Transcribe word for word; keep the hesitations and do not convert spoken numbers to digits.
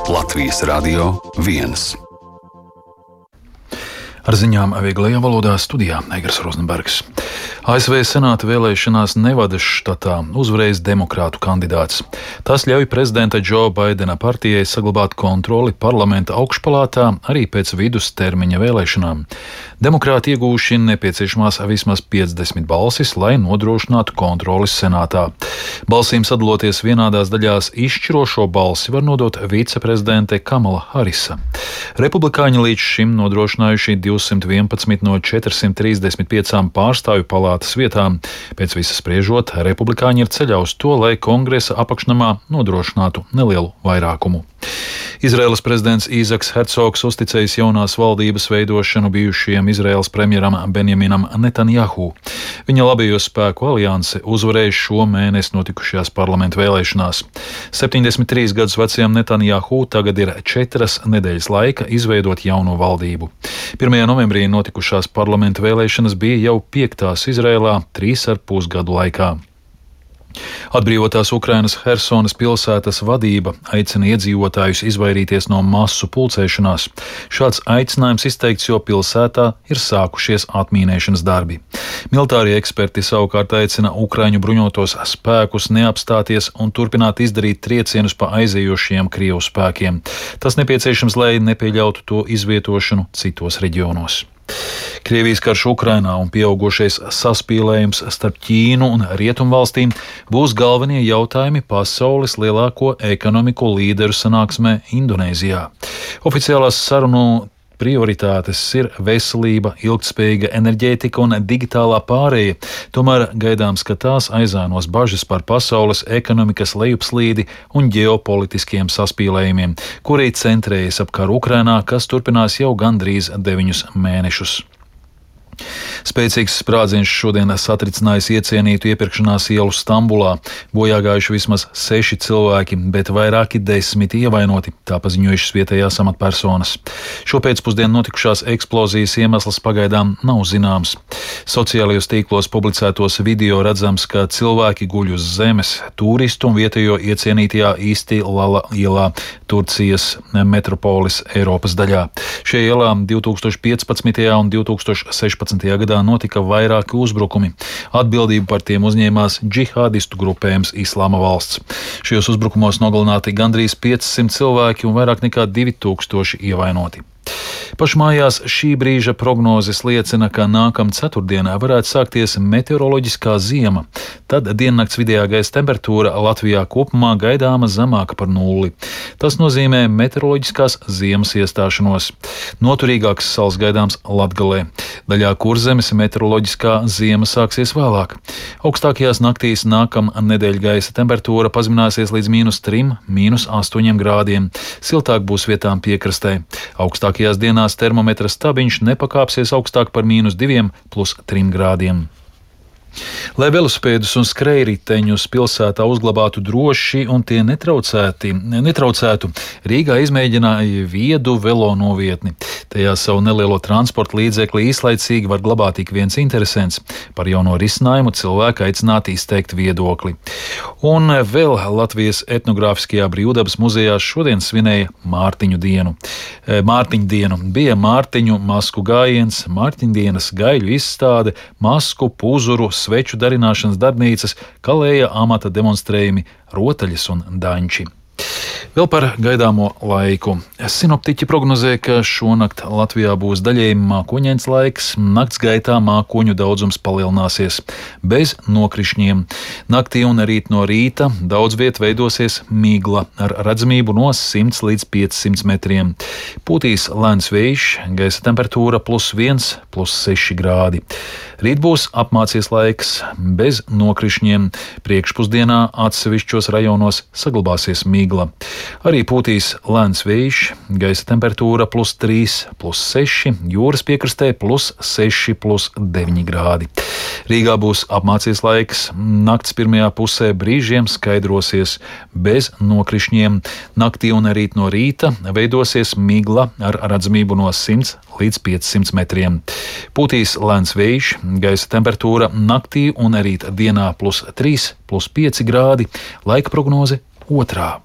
Latvijas Radio viens. Ar ziņām vieglajā valodā studijā Eigars Rozenbergs. A S V senāta vēlēšanās Nevadas štatā uzvarējis demokrātu kandidāts. Tas ļauj prezidenta Džo Baidena partijai saglabāt kontroli parlamenta augšpalātā arī pēc vidustermiņa vēlēšanām. Demokrāti iegūši nepieciešamās vismaz piecdesmit balsis, lai nodrošinātu kontroli senātā. Balsīm sadaloties vienādās daļās, izšķirošo balsi var nodot viceprezidente Kamala Harisa. Republikāņi līdz šim nodrošinājuši divsimt vienpadsmit no četrsimt trīsdesmit piecām pārstāvju palātas vietām. Pēc visa spriežot, republikāņi ir ceļā uz to, lai kongresa apakšnamā nodrošinātu nelielu vairākumu. Izraēlas prezidents Īzaks Hercogs uzticējis jaunās valdības veidošanu bijušajam Izraēlas premjeram Benjaminam Netanjahu. Viņa labējo spēku alianse uzvarēja šo mēnesi notikušajās parlamentu vēlēšanās. septiņdesmit trīs gadus vecajam Netanjahu tagad ir četras nedēļas laika izveidot jauno valdību. pirmajā novembrī notikušās parlamentu vēlēšanas bija jau piektās Izraēlā trīs ar pus gadu laikā. Atbrīvotās Ukrainas Hersonas pilsētas vadība aicina iedzīvotājus izvairīties no masu pulcēšanās. Šāds aicinājums izteikts, jo pilsētā ir sākušies atmīnēšanas darbi. Militārie eksperti savukārt aicina Ukraiņu bruņotos spēkus neapstāties un turpināt izdarīt triecienus pa aizējošiem Krievu spēkiem. Tas nepieciešams, lai nepieļautu to izvietošanu citos reģionos. Krievijas karš Ukrainā un pieaugušais saspīlējums starp Ķīnu un Rietumvalstīm būs galvenie jautājumi pasaules lielāko ekonomiku līderu sanāksmē Indonēzijā. Oficiālās sarunu prioritātes ir veselība, ilgtspējīga enerģētika un digitālā pārēja, tomēr gaidāms, ka tās aizānos bažas par pasaules ekonomikas lejupslīdi un ģeopolitiskiem saspīlējumiem, kuri centrējas ap karu Ukrainā, kas turpinās jau gandrīz deviņus mēnešus. Spēcīgs sprādziens šodien satricinājis iecienītu iepirkšanās ielu Stambulā. Bojā gājuši vismaz seši cilvēki, bet vairāki desmiti ievainoti, tā paziņojušas vietējās amatpersonas. Šopēcpusdien notikušās eksplozijas iemesls pagaidām nav zināms. Sociālajos tīklos publicētos video redzams, ka cilvēki guļ uz zemes turistu un vietējo iecienītajā Istilala ielā, Turcijas metropolis Eiropas daļā. Šajā ielā divtūkstoš piecpadsmitajā un divtūkstoš sešpadsmitajā gadā notika vairāki uzbrukumi. Atbildību par tiem uzņēmās džihādistu grupējums Islāma valsts. Šajos uzbrukumos nogalināti gandrīz piecsimt cilvēki un vairāk nekā divi tūkstoši ievainoti. Pašmājās šī brīža prognozes liecina, ka nākamā ceturtdienā varētu sākties meteoroloģiskā ziema. Tad diennakts vidējā gaisa temperatūra Latvijā kopumā gaidāma zemāka par nulli. Tas nozīmē meteoroloģiskās ziemas iestāšanos. Noturīgāks sals gaidāms Latgalē. Daļā Kurzemes meteoroloģiskā ziema sāksies vēlāk. Augstākajās naktīs nākamā nedēļa gaisa temperatūra pazemināsies līdz mīnus trim, mīnus astoņiem grādiem. Siltāk būs vietām piekrastē. Augstākajās dienās termometra stabiņš nepakāpsies augstāk par mīnus diviem plus trim grādiem. Lai velosipēdus un skrejriteņus pilsētā uzglabātu droši un tie netraucētu, Rīgā izmēģināja viedu velo novietni. Tajā savu nelielo transporta līdzekli īslaicīgi var glabāt ik viens interesents. Par jauno risinājumu cilvēki aicināti izteikt viedokli. Un vēl Latvijas etnogrāfiskajā brīvdabas muzejā šodien svinēja Mārtiņu dienu. Mārtiņu dienu bija Mārtiņu masku gājiens, Mārtiņdienas gaļu izstāde, masku, puzuru, sveču darināšanas darbnīcas, kalēja amata demonstrējumi, rotaļas un daņči. Vēl par gaidāmo laiku. Sinoptiķi prognozē, ka šonakt Latvijā būs daļēji mākoņains laiks, nakts gaitā mākoņu daudzums palielināsies, bez nokrišņiem. Naktī un rīt no rīta daudz viet veidosies migla ar redzamību no simts līdz piecsimt metriem. Pūtīs lēns vējš, gaisa temperatūra plus viens, plus seši grādi. Rīt būs apmācies laiks, bez nokrišņiem. Priekšpusdienā atsevišķos rajonos saglabāsies migla. Arī pūtīs lēns vējš, gaisa temperatūra plus trīs, plus seši, jūras piekrastē plus seši, plus deviņi grādi. Rīgā būs apmācies laiks, nakts pirmajā pusē brīžiem skaidrosies, bez nokrišņiem. Naktī un rīt no rīta veidosies migla ar redzamību no simts līdz piecsimt metriem. Pūtīs lēns vējš, gaisa temperatūra naktī un rīt dienā plus trīs, plus pieci grādi, laika prognoze otrā.